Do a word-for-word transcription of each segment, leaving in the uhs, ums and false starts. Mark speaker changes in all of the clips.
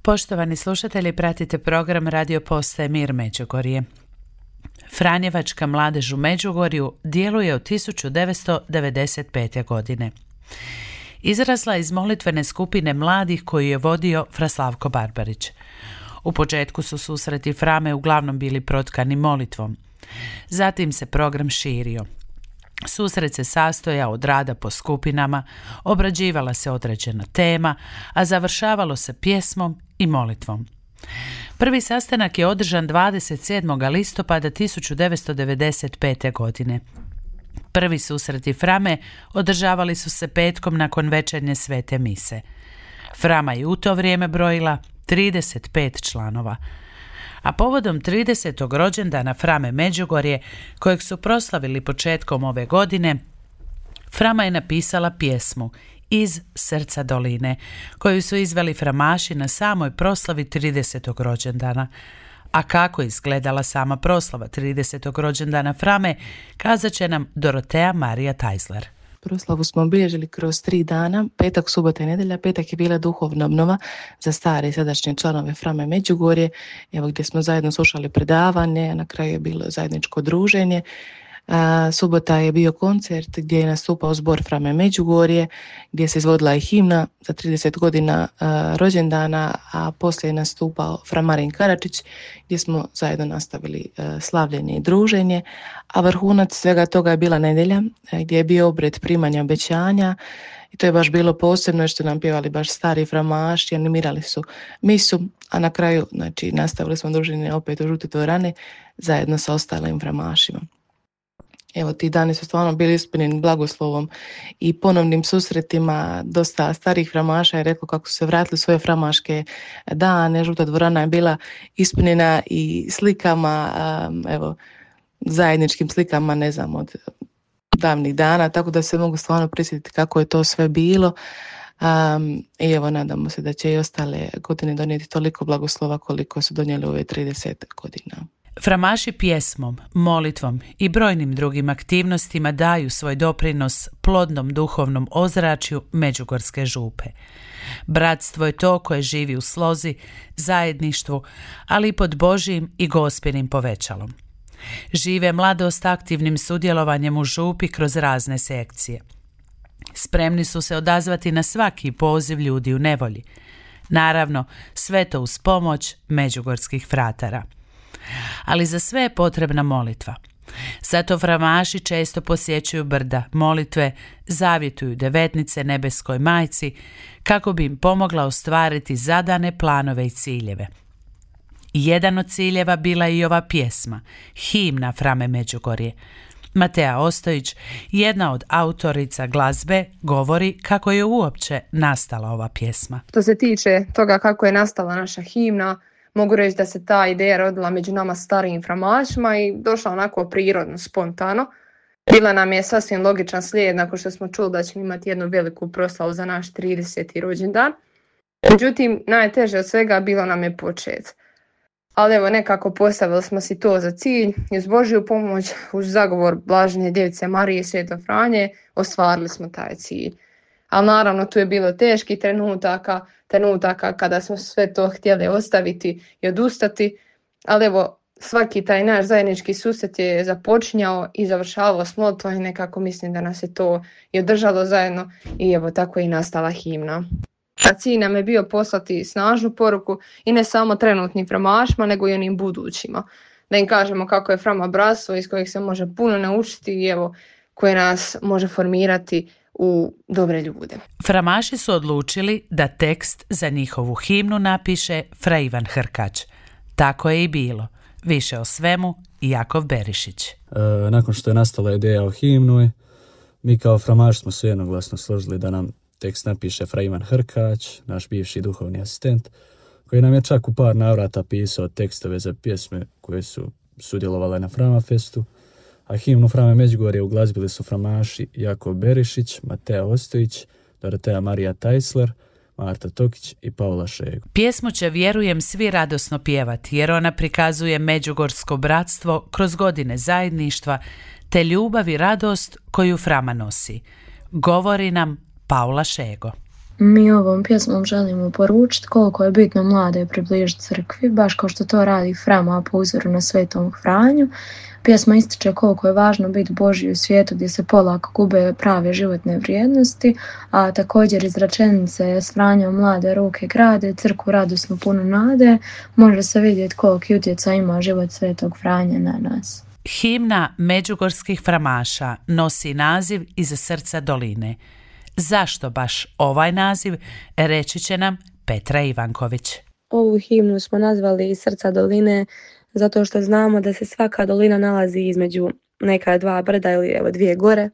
Speaker 1: Poštovani slušatelji, pratite program Radio Postaje Mir Međugorje. Franjevačka mladež u Međugorju djeluje od tisuću devetsto devedeset pete. godine. Izrasla iz molitvene skupine mladih koju je vodio Fra Slavko Barbarić. U početku su susreti Frame uglavnom bili protkani molitvom. Zatim se program širio. Susret se sastojao od rada po skupinama, obrađivala se određena tema, a završavalo se pjesmom i molitvom. Prvi sastanak je održan dvadeset sedmog listopada tisuću devetsto devedeset pete. godine. Prvi susreti Frame održavali su se petkom nakon večernje svete mise. Frama je u to vrijeme brojila trideset pet članova. A povodom tridesetog rođendana Frame Međugorje, kojeg su proslavili početkom ove godine, Frama je napisala pjesmu Iz srca doline, koju su izveli framaši na samoj proslavi tridesetog rođendana. A kako izgledala sama proslava tridesetog rođendana Frame, kazat će nam Dorotea Marija Tajsler.
Speaker 2: Proslavu smo obilježili kroz tri dana, petak, subota i nedjelja. Petak je bila duhovna obnova za stare i sadašnje članove Frame Međugorje, evo gdje smo zajedno slušali predavanje, na kraju je bilo zajedničko druženje. A, subota je bio koncert gdje je nastupao zbor Frame Međugorje, gdje se izvodila i himna za trideset godina a, rođendana, a poslije je nastupao Fra Marin Karačić, gdje smo zajedno nastavili a, slavljenje i druženje, a vrhunac svega toga je bila nedjelja, a, gdje je bio obred primanja obećanja. I to je baš bilo posebno što nam pjevali baš stari framaši, animirali su misu, a na kraju znači, nastavili smo druženje opet u žute dvorane zajedno sa ostalim framašima. Evo, ti dani su stvarno bili ispunjeni blagoslovom i ponovnim susretima. Dosta starih framaša je rekao kako su se vratili u svoje framaške dane. Žuta dvorana je bila ispunjena i slikama, evo, zajedničkim slikama, ne znam, od davnih dana, tako da se mogu stvarno prisjetiti kako je to sve bilo. Um, I evo, nadamo se da će i ostale godine donijeti toliko blagoslova koliko su donijeli ove trideset godina.
Speaker 1: Framaši pjesmom, molitvom i brojnim drugim aktivnostima daju svoj doprinos plodnom duhovnom ozračju Međugorske župe. Bratstvo je to koje živi u slozi, zajedništvu, ali i pod Božjim i Gospinim povećalom. Žive mladost aktivnim sudjelovanjem u župi kroz razne sekcije. Spremni su se odazvati na svaki poziv ljudi u nevolji. Naravno, sve to uz pomoć međugorskih fratara. Ali za sve je potrebna molitva. Zato framaši često posjećuju brda molitve, zavjetuju devetnice nebeskoj majci kako bi im pomogla ostvariti zadane planove i ciljeve. Jedan od ciljeva bila je i ova pjesma, himna Frame Međugorje. Matea Ostojić, jedna od autorica glazbe, govori kako je uopće nastala ova pjesma.
Speaker 3: Što se tiče toga kako je nastala naša himna, mogu reći da se ta ideja rodila među nama starijim framašima i došla onako prirodno, spontano. Bila nam je sasvim logičan slijed nakon što smo čuli da ćemo imati jednu veliku proslavu za naš trideseti rođendan. Međutim, najteže od svega bilo nam je počet. Ali evo, nekako postavili smo si to za cilj i uz Božju pomoć, uz zagovor Blažene Djevice Marije i Svetog Franje, ostvarili smo taj cilj. Ali naravno tu je bilo teških trenutaka, trenutaka kada smo sve to htjeli ostaviti i odustati, ali evo svaki taj naš zajednički susret je započinjao i završavao s molitvom i nekako mislim da nas je to i održalo zajedno i evo tako je i nastala himna. A cilj nam je bio poslati snažnu poruku i ne samo trenutnim framašima nego i onim budućima. Da im kažemo kako je Frama bratstvo iz kojeg se može puno naučiti i evo koje nas može formirati u dobre ljude.
Speaker 1: Framaši su odlučili da tekst za njihovu himnu napiše Fra Ivan Hrkač. Tako je i bilo. Više o svemu Jakov Berišić.
Speaker 4: E, nakon što je nastala ideja o himnu, mi kao framaši smo se jednoglasno složili da nam tekst napiše Fra Ivan Hrkač, naš bivši duhovni asistent, koji nam je čak u par navrata pisao tekstove za pjesme koje su sudjelovale na Frama Festu, a himnu Frame Međugorje uglazbili su framaši Jakov Berišić, Matea Ostojić, Dorotea Marija Tajsler, Marta Tokić i Paula Šego.
Speaker 1: Pjesmu će, vjerujem, svi radosno pjevati jer ona prikazuje međugorsko bratstvo kroz godine zajedništva te ljubav i radost koju Frama nosi. Govori nam Paula Šego.
Speaker 5: Mi ovom pjesmom želimo poručiti koliko je bitno mlade približiti crkvi, baš kao što to radi Frama po uzoru na Svetom Franju. Pjesma ističe koliko je važno biti Božji u svijetu gdje se polako gube prave životne vrijednosti, a također iz rečenice s Franjom mlade ruke grade, crkvu radosno puno nade, može se vidjeti koliki utjecaj ima život Svetog Franje na nas.
Speaker 1: Himna međugorskih framaša nosi naziv Iz srca doline. Zašto baš ovaj naziv, reći će nam Petra Ivanković.
Speaker 6: Ovu himnu smo nazvali Iz srca doline zato što znamo da se svaka dolina nalazi između neka dva brda ili evo dvije gore.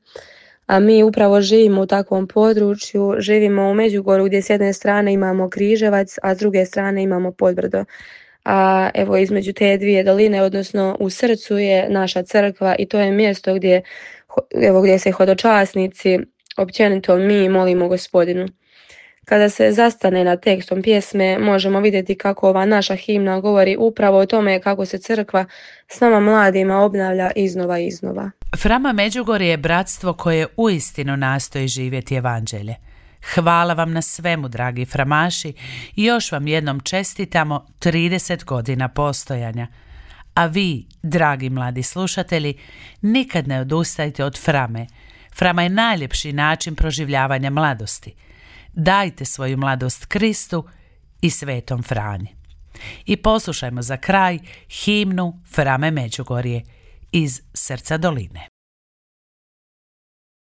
Speaker 6: A mi upravo živimo u takvom području, živimo u Međugorju gdje s jedne strane imamo Križevac, a s druge strane imamo Podbrdo. A evo između te dvije doline, odnosno u srcu je naša crkva i to je mjesto gdje, evo, gdje se hodočasnici, općenito mi molimo Gospodinu. Kada se zastane nad tekstom pjesme, možemo vidjeti kako ova naša himna govori upravo o tome kako se crkva s nama mladima obnavlja iznova i iznova.
Speaker 1: Frama Međugorje je bratstvo koje uistinu nastoji živjeti evanđelje. Hvala vam na svemu, dragi framaši, i još vam jednom čestitamo trideset godina postojanja. A vi, dragi mladi slušatelji, nikad ne odustajte od Frame. Frama je najljepši način proživljavanja mladosti. Dajte svoju mladost Kristu i Svetom Franji. I poslušajmo za kraj himnu Frame Međugorje, Iz srca doline.